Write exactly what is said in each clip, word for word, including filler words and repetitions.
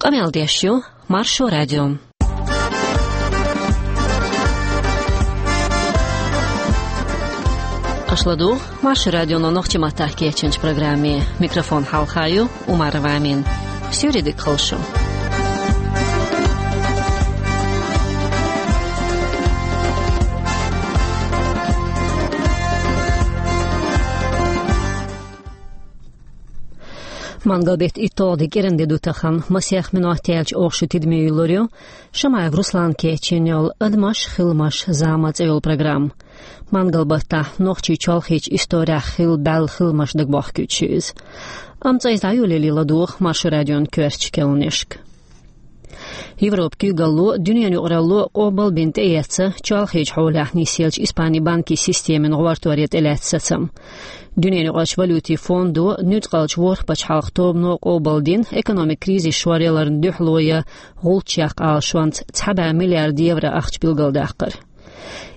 Къамел деш ю Маршо радио. Аша ладугӀу Маршо радионо нохчийн маттахь кечйинчу программе. Микрофон хьалха ю Умарова Амина. Суьйре дика хуьлда шу. Мангал-беттан итталгӀа де кӀиран де ду тахана, масех минот яьлча оха шун тидаме юьллур ю Шамаев Руслана кечйина йолу «Адамаш, хиламаш, зама» цӀе йолу программа. Мангал-баттахь нохчийн чолхечу исторехь хилла баьлла хиламаш дагабохкуьйтуш ю иза. Амма цкъа иза дӀайолале ладогӀа Маршо радион коьртачу керланашка. Европан куьйгалло а, дуьненан юкъаралло а къобал бина тӀеэцна чолхечу хьолехь нисъеллачу Испанин банкийн системина гӀортор ян тӀелаьцна сацам. Дуьненан юкъарчу валютийн фондо а, нуьцкъалчу ворхӀ пачхьалкхан тобано а къобал дина экономикан кризис шоръяларна дуьхьало ян гӀулч яккха Ӏалашонца цхьа бӀе миллиард евро ахча билгалдаккхар.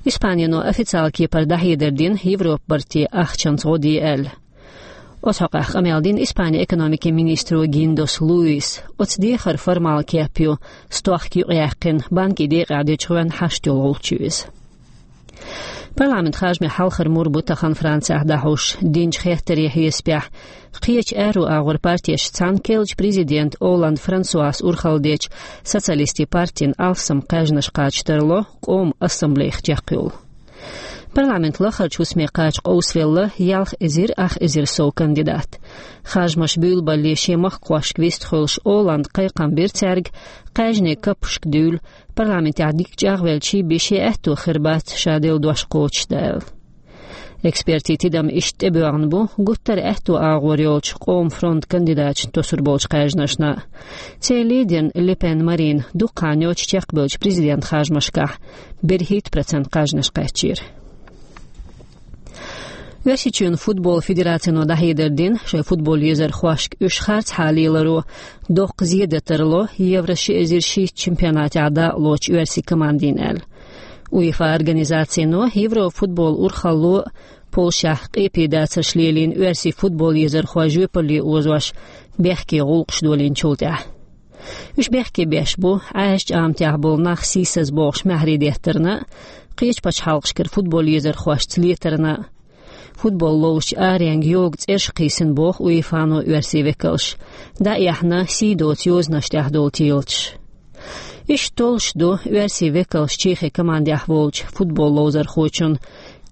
Испанино официалан кепара дӀахьедар дина Европан барте ахчанца гӀо де аьлла. Оцу хьокъехь къамел дина Испанин экономикин министро Гиндос Луис. Оцу дехаран формалан кеп ю, стохка юкъаяьккхина, банкийн декъехь дечу гӀоьнна хьашт йолу гӀулч ю иза. Парламентан харжамех хьалхара мур бу тахана Францехь дӀахьуш. Динчу хеттарийн хьесапехь, кхечу аьрру агӀор партешца цхьаьна керлачу президентан Олланд Франсуас урхалла дечу Социалистийн партина алссам кхаьжнаш кхача тарло Къоман ассамблейх чекхйолу. Парламентан лахарчу хӀусаме кхача къовсавелла ялх эзар ах эзар сов кандидат. Харжамаш буьйлабалале шен махкахошка вистхуьлуш Олланда кхайкхам бира цаьрга, кхаьжнийн каппашка дуьйла, парламентехь дика чӀагӀвелча бен шен аьтто хир бац ша делла дош кхочушдан аьлла. Экспертийн тидам иштта тӀебоьгӀна бу гуттар а аьтто агӀор йолчу Къоман фронтан кандидаташна тосур болчу кхаьжнашна. Церан лидерна Ле Пен Марина дукха хан йоццуш чекхбевллачу президентан харжамашкахь берхӀитта процент кхаьжнаш кхаьчнера. Оьрсийчоьнан футбол федератино дӀахьедар дина, шайн футбол езархошка уьш харцхьа леларо доккха зен дан тарло Евро ши эзар шийтта чемпионатехь дакъалоцучу оьрсийн командина аьлла. УЕФА организацино Европан футболан урхалло а Польшехь къепе дацарш лелийна оьрсийн футбол езархой жоьпалле озош бехке гӀуллакхаш долийначул тӀаьхьа. Уьш бехке беш бу Ӏаьржачу Ӏаматехь болу нах сийсаз бохуш маьхьарий деттарна а, кхечу пачхьалкхашкара футбол езархошца летарна а. Футбол ловзучу аренга йогу цӀераш кхийсина боху УЕФАно оьрсийн векалш, дӀаэхна сий доцу йозанаш тӀехь долу телаташ. Иштта толлуш ду оьрсийн векалш Чехин командехь волчу футбол ловзархочун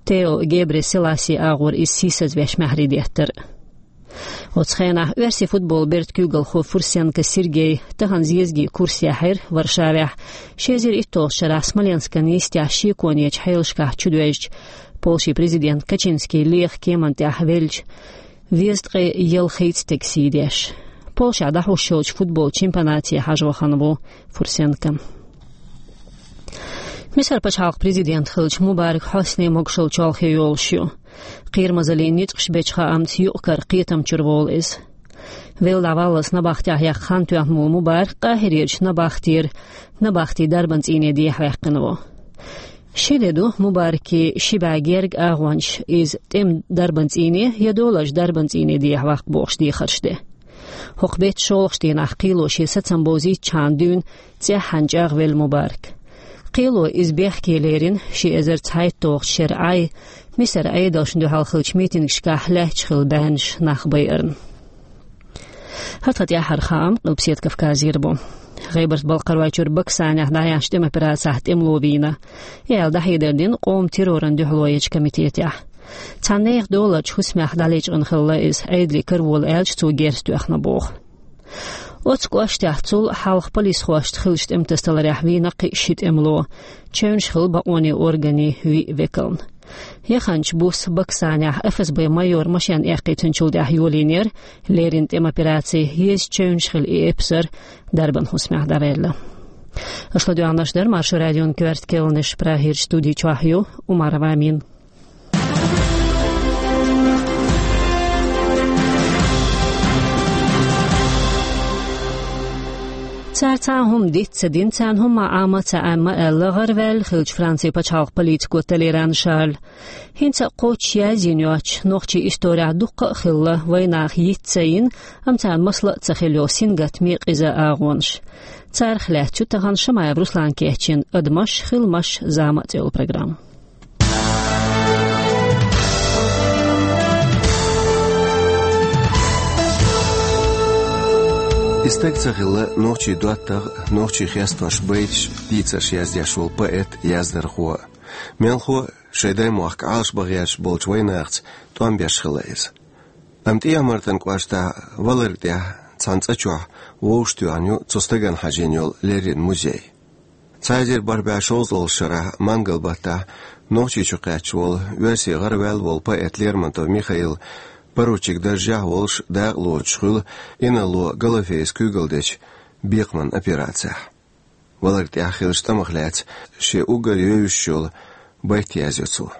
Тео Гебресилассин агӀор иза сийсазвеш маьхьарий деттар. Оцу хенахь оьрсийн футболан бертан куьйгалхо Фурсенко Сергей тахана зезагийн курс яьхьира Варшавехь, ши эзар итталгӀачу шарахь Смоленскан йистехь шеконечу хьелашкахь чудоьжначу Польшин президент Качинский Лехан кеманна тӀехь веллачу везткъе ялхитта стеган сий деш. Польшехь дӀахьуш йолчу футболан чемпионате хьажа вахана ву Фурсенко. Мисар пачхьалкхан президент хиллачу Мубарак Хьосни могушалла чолхе йолуш ю. Кхерамазаллин ницкъаш бечу хаамца юкъ-кара кхетам чуьра волу иза. Велла дӀаваллалц набахтехь яккха хан тоьхна волу Мубарак Къахьирерчу набахтера набахтин дарбан цӀийне дехьаваьккхина ву. Ши де ду Мубаракан ши бӀе герга агӀончаш, иза тӀеман дарбан цӀийне я долазчу дарбан цӀийне дехьаваккха бохуш дехарш де. ХӀокху беттан шолгӀачу дийнахь кхело шен сацам бовзийтичхьана дуьйна цӀеххьана чӀагӀвелла Мубарак. Кхело иза бехке лерина ши эзар цхьайтталгӀачу шеран Ӏай Мисаран Ӏедалшна дуьхьал хиллачу митингашкахь лаьтташ хилла баьннаш нах байарна. ХӀара тхан тӀаьххьара хаам Къилбаседа Кавказера бу. ГӀебарта-Балкхаройчуьра Баксанехь дӀаяьхьначу тӀеман операцехь тӀемало вийна, и аьлла дӀахьедар дина къоман террорна дуьхьало ечу комитетехь. Цхьана нехан доларчу хӀусамех дӀалечкъина хилла иза, Ӏедалан караволаша аьлча, цо герз тоьхна боху. Оцу кӀоштехь цул хьалха полисхошца хиллачу тӀематасадаларехь вийна кхин а ши тӀемало, чевнаш хилла бакъонийн органийн виъ векална. Яханчу буса Баксанехь ФСБ-н майор машен эккхийтинчул тӀаьхьа йолийнера леррина тӀеман операци, еза чевнаш хилла и эпсар дарбан хӀусамехь дӀаваьлла. Аша ладоьгӀнарш дара Маршо радион коьрта керланаш, Прагерчу студи чохь ю Умарова Амина. Цара цхьа а хӀума диц ца дина, царна хӀумма а Ӏама ца Ӏемма аьлла, гӀараваьлла хиллачу Францин пачхьалкхан политико Толеран Шарла. ХӀинца а кхоччуш язйина йоцчу нохчийн исторехь дуккха а хилла вайнаха йиц ца йина, амма царна масала а ца хилла йолу сингаттаме къиза агӀонаш. Царах лаьцна ю тахана Шамаев Руслана кечйина «Адамаш, хиламаш, зама» цӀе йолу программа. И стаг ца хилла нохчийн доттагӀа, нохчийн хестош, байташ, дийцарш яздеш волу поэт, яздархо. Мелхо а шайн даймохк Ӏалашбан гӀерташ болчу вайнахаца тӀом беш хилла иза. Амма ТӀехьа-Мартан кӀоштахь Валар тӀехь цхьана цӀа чохь вовшахтоьхна ю цу стагана хьажийна йолу леррина музей. Цхьа эзар бархӀ бӀе шовзткъалгӀачу шарахь, мангал баттахь, Нохчийчу кхаьчна волу, оьрсийн гӀараваьлла волу поэт Лермонтов Михаил поручик даржехь а волуш дакъа лоцуш хуьлу инарло Голофеевс куьйгалла дечу бекхаман операцехь. Валар тӀехь хиллачу тӀамах лаьцна шен уггар евзаш йолу байт язйо цо.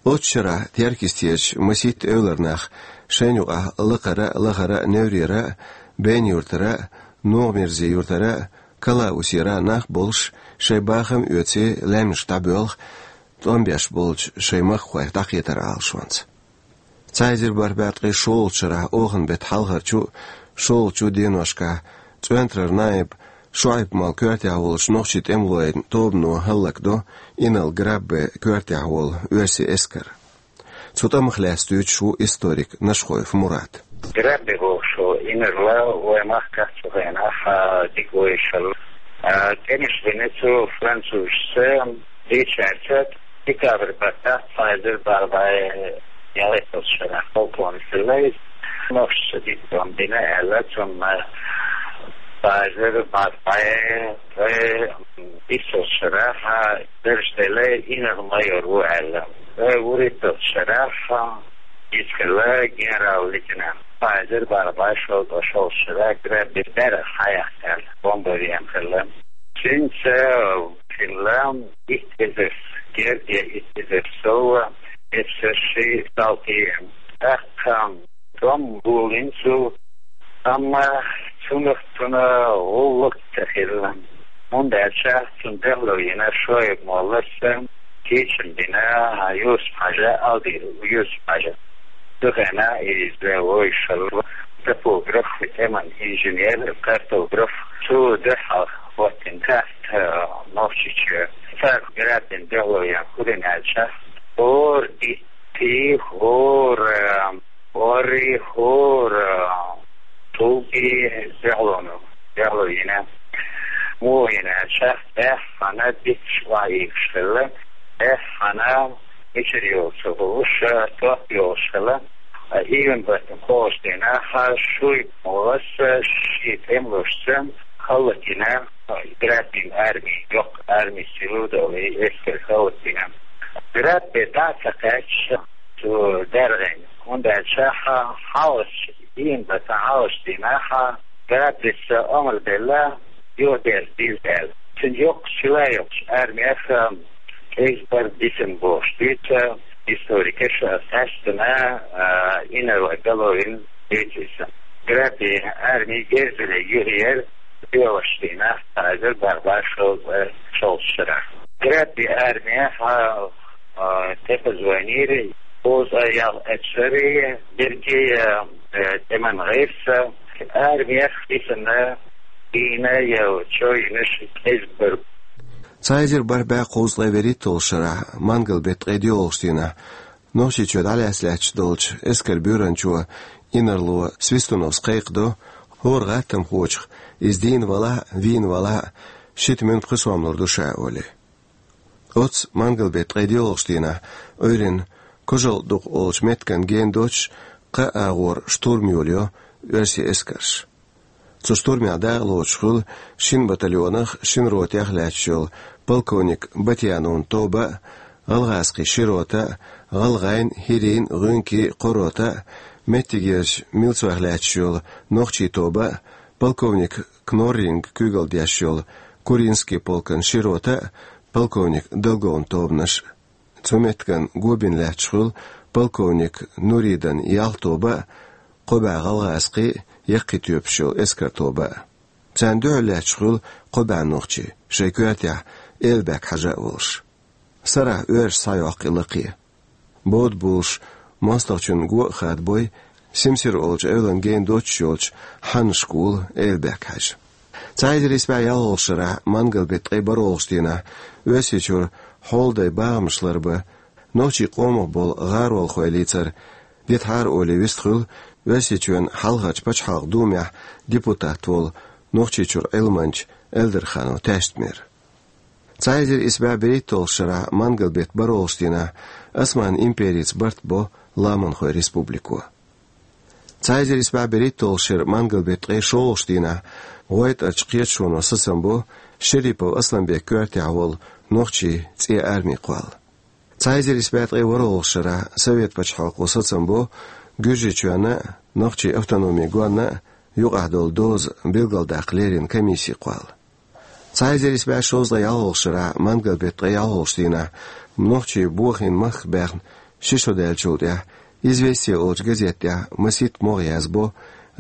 Оццу шарахь Теркйистерчу масийтта эвлара нах шайна юкъахь Лакхара а, Лахара а, Неврера а, Бен-Юьртара а, НогӀмирзин-Юьртара а, Калаусера а нах болуш, шайн бахам а оьций, лаьмнаш дӀабоьлху, тӀом беш болчу шайн махкахойх дӀакхетар Ӏалашонца. Цхьа эзар бархӀ бӀе ткъе шолгӀачу шарахь оханан беттан хьалхарчу а, шолгӀачу а деношкахь ЦӀоьнтарара наиб Шуайб-молла коьртехь волчу нохчийн тӀемалойн тобано хӀаллакдо инарла Граббе коьртехь волу оьрсийн эскар. Цу тӀамах лаьцна дуьйцуш ву историк Нашхоев Мурат. Граббе бохуш волу инарла вайн махкахь цу хенахь дика вевзаш хилла. А, тӀемаш бина цу французашца, дийцарца, декабрь баттахь цхьа эзар бархӀ бӀе ялхитталгӀачу шарахь полковник хилла иза. Нохчашца дика тӀом бина аьлла, цунна цхьа эзар бархӀ бӀе ткъе биссалгӀачу шарахь дарж делла инарла майор ву аьлла. Ткъе вуьрхӀитталгӀачу шарахь иза хилла генерал-лейтенант. Цхьа эзар бархӀ бӀе шовзткъе шолгӀачу шарахь Граббе берах хьаяьккхина, бомбарем хилла. Цуьнца хилла итт эзар герга, итт эзар сов, эпсарши, салти. ТӀаккха тӀом гулйина цо, амма цунах цунна гӀуллакх ца хилла, хӀунда аьлча цунна дуьхьало йина Шуайб-моллас кечам бина Юсуп-Хьажа, Алди Юсуп-Хьажа. Цу хенахь иза вовзаш хилла топограф, тӀеман инженер, картограф. Цо дуьхьал хӀоттийна карта Нохчийчоь. Цара Граббена дуьхьало ян хӀун дина аьлча, хӀора итт, хӀора орри, хӀора тулги дуьхьалонаш, дуьхьало йина. Муха йина аьлча, баьххана дицаш охьаийцуш хилла, баьххана мичара йолу ца хууш, топ йолуш хилла. Июнь баттахь кхоалгӀачу дийнахь Шуайб-моллас шен тӀемалошца хӀаллакйина Граббен арми, йоккха арми силу долу и эскар хӀаллакйина. Граббе дӀа а ца кхаьчча, цо даьргӀина, хӀунда аьлча хьалхалгӀачу, июнь баттахь хьалхалгӀачу дийнахь Граббес омра делла, юхадерза деза аьлла. Цуьнан йоккха сила йоккхачу армех кӀезиг-барг дисина бохуш дуьйцу историкаша, цаьршинна, а, инарла гало йина дуьйцу иза. Граббен арми герзале юхаера доьалгӀачу дийнахь, цхьа эзар бархӀ бӀе шовзткъе шолгӀачу шарахь. Граббен армех, а, тӀепаза вайнера кхузткъе ялх эпсар, берриге а, э, тӀеман гӀирс, армех дисина, дийна я чо йинарш кӀезиг-барг. Цхьа эзар бархӀ бӀе кхузткъе вуьрхӀитталгӀачу шарахь, мангал беттан ткъе доьалгӀачу дийнахь, Нохчийчоь дӀалаьцна лаьтташ долчу эскаран буьйранчо, инарло Свистуновс кхайкхадо, хӀора гӀаттамхочух, иза дийна валахь а, вийна валахь а, шийтта муьнан пхи сом лур ду ша, олий. Оццу мангал беттан ткъе доьалгӀачу дийнахь Ӏуьйранна Кожалдукъ олучу меттиган гена доцуш, кхаа агӀор штурм йолайо оьрсийн эскарша. Цу штурмехь дакъа лоцуш хуьлу шина батальонах, шина ротех лаьтташ йолу полковник Батьяновн тоба а, гӀалгӀазкхийн ши рота а, гӀалгӀайн, хӀирийн, гӀуьнкийн кхо рота а, меттигерчу милцойх лаьтташ йолу нохчийн тоба а, полковник Кнорринг куьйгалла деш йолу Куринский полкан ши рота а, полковник Долговн тобанаш а. Цу меттиган го бина лаьтташ хуьлу полковник Нуридан ялх тоба а, кхо бӀе гӀалгӀазкхийн, яккхий тоьпаш йолу эскаран тоба а. Царна дуьхьал лаьтташ хуьлу кхо бӀе нохчий, шайн коьртехь Эльбек-Хьаьжа а волуш. Сарахь оьрсаша схьайоккху и лакхе. Бода болуш, мостагӀчун го а хадабой, Симсир олучу эвлан гена доцуш йолчу хьанна школа Эльбек-Хьаьжа. Цхьа эзар исс бӀе ялхалгӀачу шарахь, мангал-беттан ткъе бархӀалгӀачу дийнахь, Оьрсийчуьра хьолдай бахамаш ларбан, нохчийн къомах болу гӀаролхойн лацар дитахьара олий вистхуьлу Оьрсийчоьнан Хьалхарчу пачхьалкхан Думехь депутат волу Нохчийчуьра Ӏилманча Эльдарханов Таьштмира. Цхьа эзар исс бӀе берхӀитталгӀачу шарахь, мангал-беттан бархӀалгӀачу дийнахь, Осман империца барт бо Ламанхойн республико. Цхьа эзар исс бӀе берхӀитталгӀачу шеран мангал-беттан ткъе шолгӀачу дийнахь, ГӀойтӀарчу кхеташоно сацам бо Шерипов Асланбекан коьртехь волу нохчийн цӀен арми кхолла. Цхьа эзар исс бӀе ткъе ворхӀалгӀачу шарахь, Совет пачхьалкхо сацам бо Гуьржийчоьнна а, Нохчийн автономин гонна а юкъахь долу доза билгалдаккха леррина комисси кхолла. Цхьа эзар исс бӀе шовзткъе ялхалгӀачу шарахь, мангал-беттан ткъе ялхалгӀачу дийнахь, нохчий бохийна махках баьхна ши шо даьллачул тӀаьхьа, «Известия» олучу газета тӀехь масийтта могӀа язбо: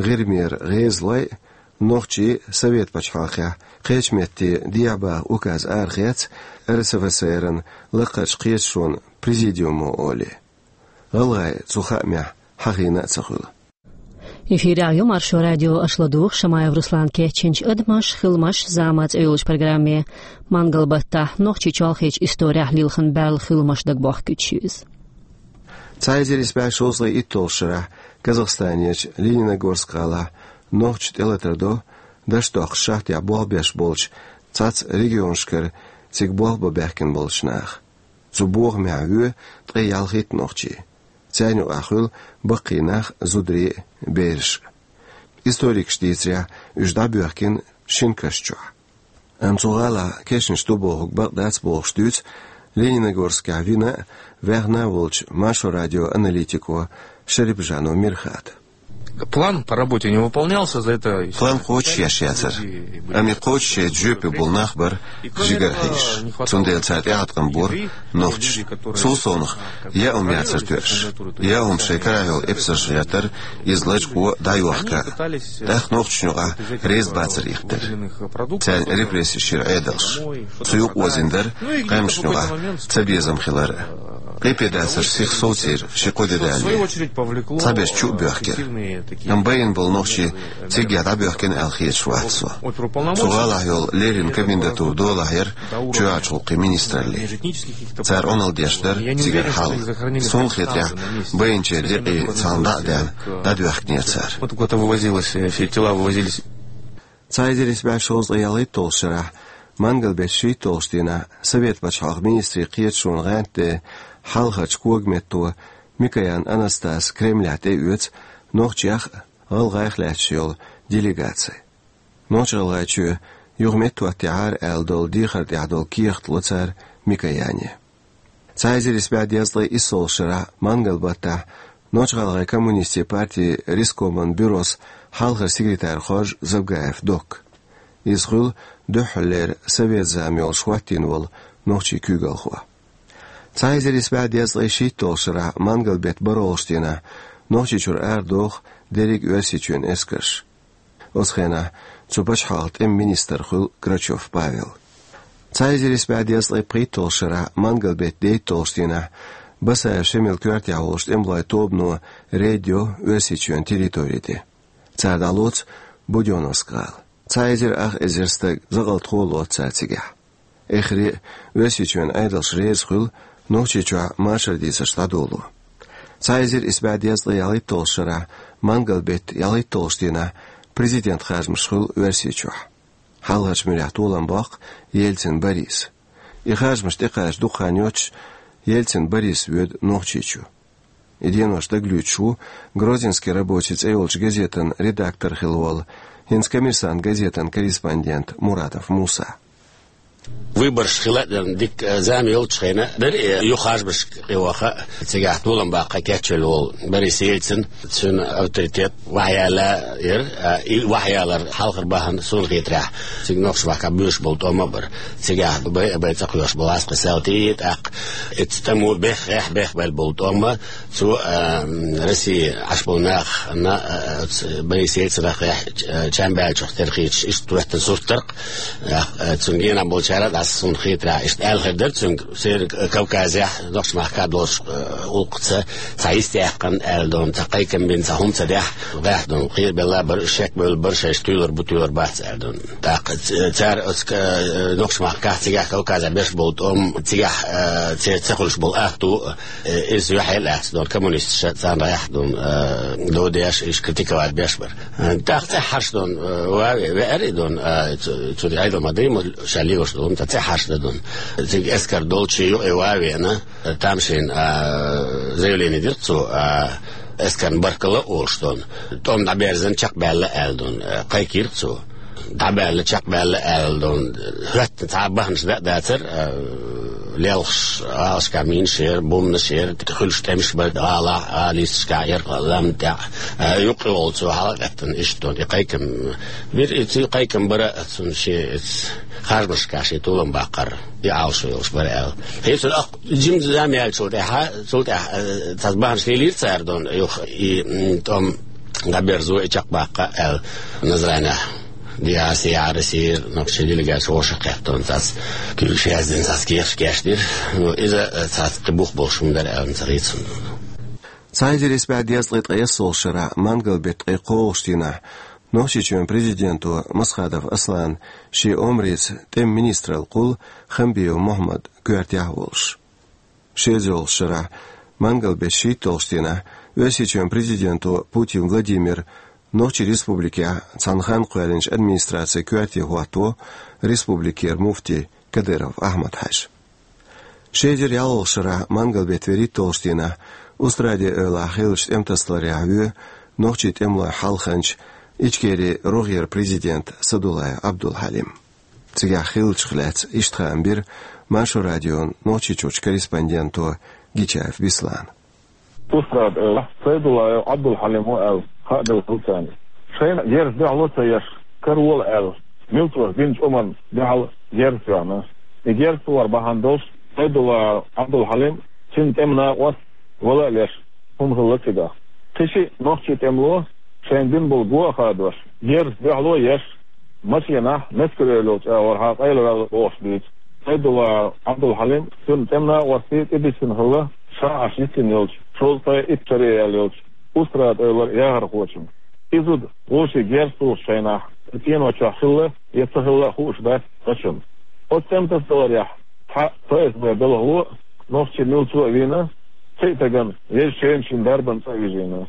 «ГӀирмера гӀезалой а, нохчий а Совет пачхьалкхехь кхечу метте дехьабаха указ арахецна, РСФСР-ан лакхарчу кхеташонан президиумо», олий. ГӀалгӀайн цу хаамехь хьахийна а ца хуьлу. Эфирехь ю Маршо радио, аша ладугӀу Шамаев Руслана кечйинчу «Адамаш, хиламаш, зама» цӀе йолчу программе. Мангал-баттахь Нохчийчоьнан чолхечу исторехь лилхина баьлла хиламаш дагабохкуьйтуш ю иза. Цхьа эзар исс бӀе шовзткъе итталгӀачу шарахь, Казахстанерчу Лениногорск-гӀалахь нохчаша тӀелатар до даш доккхуш шахтехь болх беш болчу цхьацца регионашкара цига болх бан баьхкина болчу наха. Цу бохамехь воь ткъе ялхитта нохчи. Царна юкъахь хуьлу баккхий нах, зударий а, бераш а. Историкаша дийцарехь, уьш дӀабоьхкина шина каш чохь. Амма цу гӀалахь кешнаш ду бохург бакъ дац бохуш дуьйцу Лениногорскехь вина а, ваьхна а волчу Маршо радион аналитико Шарипжанов Мирхата. План по работе не выполнялся, за это... План кхочушъеш яцара. Амма и кхочушъяйта жоьпе болу нах бара жигара хьийзаш. Цундела цара тӀеӀаткъам бора нохчаша. Цул совнаха, яа хӀума яцара тоьаш. Яа хӀума шайн карахь йолу эпсарша гӀертара, иза лачкъо а, дӀайохка а. ТӀаккха нохчашна юкъахь реза бацар ихтара. Царна репрессеш йира Ӏедалша. Цу юкъа озийна дара къаьмнашна юкъахь цабезам хилар а. Къепедацарш сиха совцийра ши-кхо де далале. Цхьаберш чу а боьхкира. Амма байина болу нохчий циггахь дӀабоьхкина аьлла хеташ вац со. Цу гӀалахь йолу леррина комендатура долахь яра чоьхьарчу гӀуллакхийн министраллин. Цара Ӏуналла деш дара цигара хьал. Суна хетарехь, байначеран декъий цхьана дӀа а даьлла, дӀадоьхкинера цара. Вот куда-то вывозилось, э, все тела вывозились. Цхьа эзар исс бӀе шовзткъе ялхитталгӀачу шарахь, мангал-беттан шийтталгӀачу дийнахь, Совет пачхьалкхан министрийн кхеташонан гӀантден хьалхарчу когаметто Микоян Анастас Кремлехь тӀеоьцу нохчех а, гӀалгӀайх а лаьтташ йолу делегаци. Нохч-ГӀалгӀайчоь юха меттахӀоттийхьара аьлла долу дехар тӀехь долу кехат ло цара Микояне. Цхьа эзар исс бӀе дезткъе иссалгӀачу шарахь, мангал-баттахь, Нохч-ГӀалгӀайн коммунистийн партин рескоман бюрос хьалхара секретарь хоржу Забгаев Докка. Иза хуьлу дуьххьарлера совет зама йолуш хӀоттийна волу нохчийн куьйгалхо. Цхьа эзар исс бӀе дезткъе шийтталгӀачу шарахь, мангал-беттан бархӀалгӀачу дийнахь, Нохчийчуьра арадоху дерриг Оьрсийчоьнан эскарш. Оцу хенахь цу пачхьалкхан тӀеман министр хуьлу Грачев Павел. Цхьа эзар исс бӀе дезткъе пхийтталгӀачу шарахь, мангал-беттан дейтталгӀачу дийнахь, Басаев Шемалан коьртехь волчу тӀемалойн тобано рейд йо Оьрсийчоьнан территори тӀе. Цара дӀалоцу Будённовск-гӀала. Цхьа эзар ах эзар стаг, закъалтхо лоцу цара цигахь. Эххар а Оьрсийчоьнан Ӏедалш реза хуьлу Нохчийчохь машар дийцарш дӀадоло. Цхьа эзар исс бӀе дезткъе ялхитталгӀачу шарахь, мангал-беттан ялхитталгӀачу дийнахь, президентан харжамаш хуьлу Оьрсийчохь. Хьалхарчу муьрехь толам боккху Ельцин Бориса. И харжамаш тӀекхача дукха хан йоццуш, Ельцин Борис воьду Нохчийчу. И денош дагалоьцуш ву «Грозненский рабочий» цӀе йолчу газетан редактор хилла волу, хӀинца «Коммерсант» газетан корреспондент Муратов Муса. Выбораш хила а дерна дика, э, зама йолчу хенахь дара, э, юха харжамашка кхиоха, цигахь толам баккха кечвелла волу Борис Ельцин, цуьнан авторитет вахьаяла яра, а, и вахьаялар хьалхара бахьана суна хетарехь, цига нохчийн махкахь буьйш болу тӀом а бара. Цигахь бай а бай цӀа кхоьхьуш болу гӀаскхи салтий, тӀаккха и тӀамо беххехь бехбелла болу тӀом а, цо, а, Россия Ӏаш болу нах, на, а, ц-, Борис Ельцинах, а, чам баьллачух тера хийцаш, иштта хӀоьттина сурт дара-кх. Э, цуьнан генахь болчара а дӀаса суна хетарехь, иштта аьлла хир дара цуьнга, церан Кавказехь, нохчийн махкахь долуш, э, гӀуллакхца цхьа йист яьккхина аьлла дуьйна, цхьа кхайкам бина, цхьа хӀума ца дехь, гӀехь дуьйна, кхерабелла бара, шек бевлла бара, шайша туьйлур бу, туьйлур бац аьлла дуьйна. ТӀаккха ц-, цара оцу, э, нохчийн махкахь цигахь Кавказехь беш болу тӀом, цигахь, э, церан ца хуьлуш болу ахту, э, иза юьхье лаьцна дуьйна, коммунисташа царна гӀехь дуьйна, э, дов деш, иштта критиковать беш бара. ТӀаккха цӀе хьарчадо, э, ван веара и дуьйна, э, цу-, цуьнан Ӏедал ма дий, ма ша лелош ду, ца цӀе хьарчадо дуьйна. Цига эскар долчу юкъе ван веана, э, тамашийна, э, заявление дира цо, э, эскарна баркалла а олуш дуьйна. ТӀом дӀаберзина чекхбаьлла аьлла дуьйна, э, кхайкхийра цо. ДӀабаьлла, чекхбаьлла аьлла дуьйна. ХӀоьттина цхьа а бахьанаш дан а дацара, э, лелхаш, гӀалашкахь минаш яра, бомбанаш яра, хуьлуш тӀемаш бара гӀалахь, гӀалин йисташкахь, ярхоллам тӀехь, а, юккъе волу цо хьала а гӀеттина, иштта дуьйна, и кхайкам бира, и цуьнан кхайкам бара, цунна шен, иза, харжамашкахь шен толам баккхар, и Ӏалашо йолуш бара аьлла. Хьесура ах-, жимма зама яьллачул тӀаьхьа, цул тӀаьхьа, а, цхьа бахьанаш лелийра цара дуьйна, юха, и, м, тӀом дӀаберзо, и чекхбаккха аьлла, Назранехь. Диаси Арасир, нохчийн делегаци вовшах кхеттон цац, куьйгаш яздина цац, кехаш кечдира. Ну, иза, э, цац кхин бух болуш хӀума дара аьлла ца хийцина. Цхьа эзар исс бӀе дезткъе ткъайоьсналгӀачу шарахь мангал беттан ткъе кхоалгӀачу дийнахь Нохчийчоьнан президенто Масхадов Аслана шен омрица тӀеман министралла кхуллу Хамбиев Мухьаммад коьртехь а волуш. Ши эзар ялхалгӀачу шарахь мангал беттан шийтталгӀачу дийнахь Оьрсийчоьнан президенто Путин Владимира Нохчийн республикехь цхьана хан кхоьллинчу администрацин коьрте хӀотто республикера муфти Кадыров Ахьмад-Хьаьжа. Ши эзар ялхалгӀачу шарахь мангал беттан вуьрхӀитталгӀачу дийнахь Устрада-Эвлахь хиллачу тӀематасадаларехь воь нохчийн тӀемалойн хьалханча, Ичкерин рогӀера президент Садулаев Ӏабдул-Хьалим. Цигахь хиллачух лаьцна иштта хаам бира Маршо радион Нохчийчуьрчу корреспонденто Гичаев Беслана. Устрада-Эвлахь Сайдуллаев Ӏабдул-Хьалим ву аьлла, хаа делла хӀума царна. Шайна герз дуьхьало ца еш, каравола аьлла, милцоша динчу омранна дуьхьал герз тоьхна. И герз тохар бахьана долуш Сайдуллаев Ӏабдул-Хьалим, цуьнан тӀеман накъост, вала а леш, хӀума хилла цигахь. Кхин шиъ нохчийн тӀемало шайна дина болу го а хадош, герз дуьхьало а еш, машенахь, Мескер-Эвла йолчу агӀор хьан къайлаваьлла бохуш дуьйцу. Сайдуллаев Ӏабдул-Хьалим, цуьнан тӀеман накъостий тӀедисина хилла ша Ӏаш йисина йолчу, шовзткъе итт шаре яьлла йолчу Устрада-Эвлара яхархочунна. И зуда вовшийн герз тухуш шайнахь, и цӀено чохь хилла я ца хилла а хууш дац вайна. Оцу тӀематасадаларехь цхьа ФСБ белхало а, нохчийн милцо а вийна, кхин а стагана везачу шайна шен дарбан цӀа а вижийна.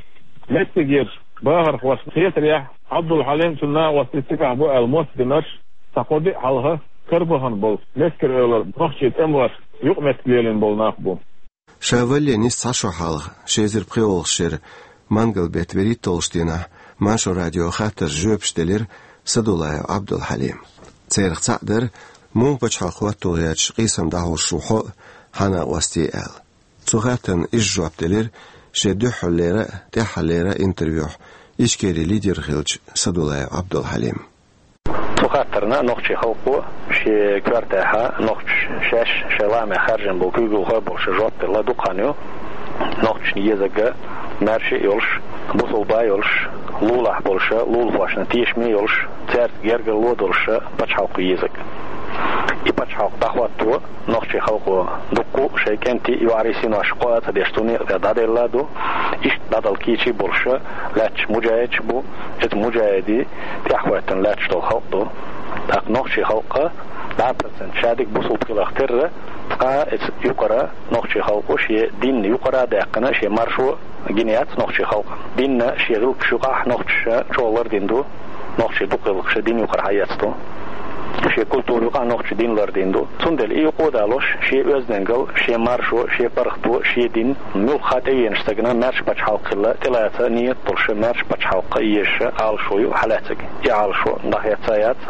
Меттигерчу бахархошна хетарехь, Ӏабдул-Хьалим, цуьнан накъостий цигахь бу аьлла моттигаш, цхьа кхо-диъ хьалха карабахана болу Мескер-Эвлара нохчийн тӀемалошка юкъаметтиг лелийна болу нах бу. Ша валале нисса цхьа шо хьалха, ши эзар пхоьалгӀачу шеран мангал беттан вуьрхӀитталгӀачу дийнахь, Маршо радио хаттаршна жоьпаш делира Садуллаев Ӏабдул-Хьалима. Царах цхьаъ дара, муха пачхьалкх хӀотто гӀерташ къийсам дӀахьош ву хьо а, хьан накъостий а аьлла. Цу хаттарна иза жоп делира шен дуьххьарлера а, тӀаьххьарлера а интервьюхь Ичкерин лидер хиллачу Садуллаев Ӏабдул-Хьалима. Цу хаттарна нохчийн халкъо шен коьртехь, нохчаша шаьш шайн лаамехь хаьржина болу куьйгалхой болуш жоп делла дукха хан ю. Нохчашна езарг маьрша а йолуш, бусулба а йолуш, лулахь болуш, лулахошна тешаме а йолуш, цаьрца гергарло а долуш пачхьалкх езарг. И пачхьалкх дӀахӀотто нохчийн халкъо дуккха а шайн кӀентий, йоӀарий, синош кхоа а ца деш, цу некъа тӀе дӀаделла а ду. Иштта дӀадала кийча а болуш лаьтташ муджахӀидаш а бу, иза муджахӀидийн тӀаьхьахӀоьттина лаьтташ долу халкъ ду. ТӀаккха нохчийн халкъ дӀа процент шадерг бусулба хиларх терра, цкъа а иза юкъара нохчийн халкъо шен дин юкъара а даьккхина, шен маршо гина яц нохчийн халкъан. Динна шен гӀиллакхаш юкъахь нохчаша чӀогӀа лардина ду, нохчийн дукха гӀиллакхаш дин юкъара хьаэцна ду. Шен культура юкъахь нохчаша дин лардина ду. Цундела и юкъа а далош, шен оьздангалла, шен маршо, шен паргӀато, шен дин муьлхха а тӀевеанчу стагана маьрша пачхьалкх хилла тӀелаца нийят долуш, маьрша пачхьалкх езаш Ӏалашо ю хьалаьцнарг. И Ӏалашо дӀахецна а яц,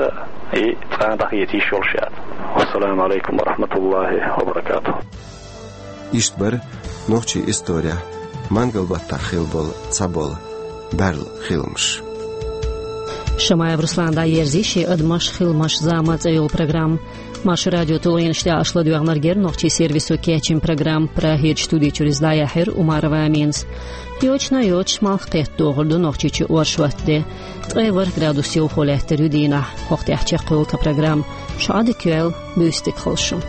и цкъа а дӀахеца йиш йолуш а яц. Ассаламу алейкум ва рахматуллахи ва баракатух. Иштта бара нохчийн исторехь мангал баттахь хилла болу цхьаболу баьрла хиламаш. Шамаев Руслана дӀаерзий шен «Адамаш, хиламаш, зама» цӀе йолу программа. Маршо радион тулгӀенаш тӀехь аша ладоьгӀнарг яра нохчийн сервисо кечйина программа. Прагерчу студи чуьра иза дӀаяьхьира Умарова Аминас. Йочана йоцуш, малх кхетта догӀур ду Нохчийчу оршот де. Ткъе ворхӀ градус йовхо лаьттар ю дийнахь. ХӀокху тӀехь чекхйолу тхан программа. Шу Ӏа дика йойла, буьйса дика хуьлда шун.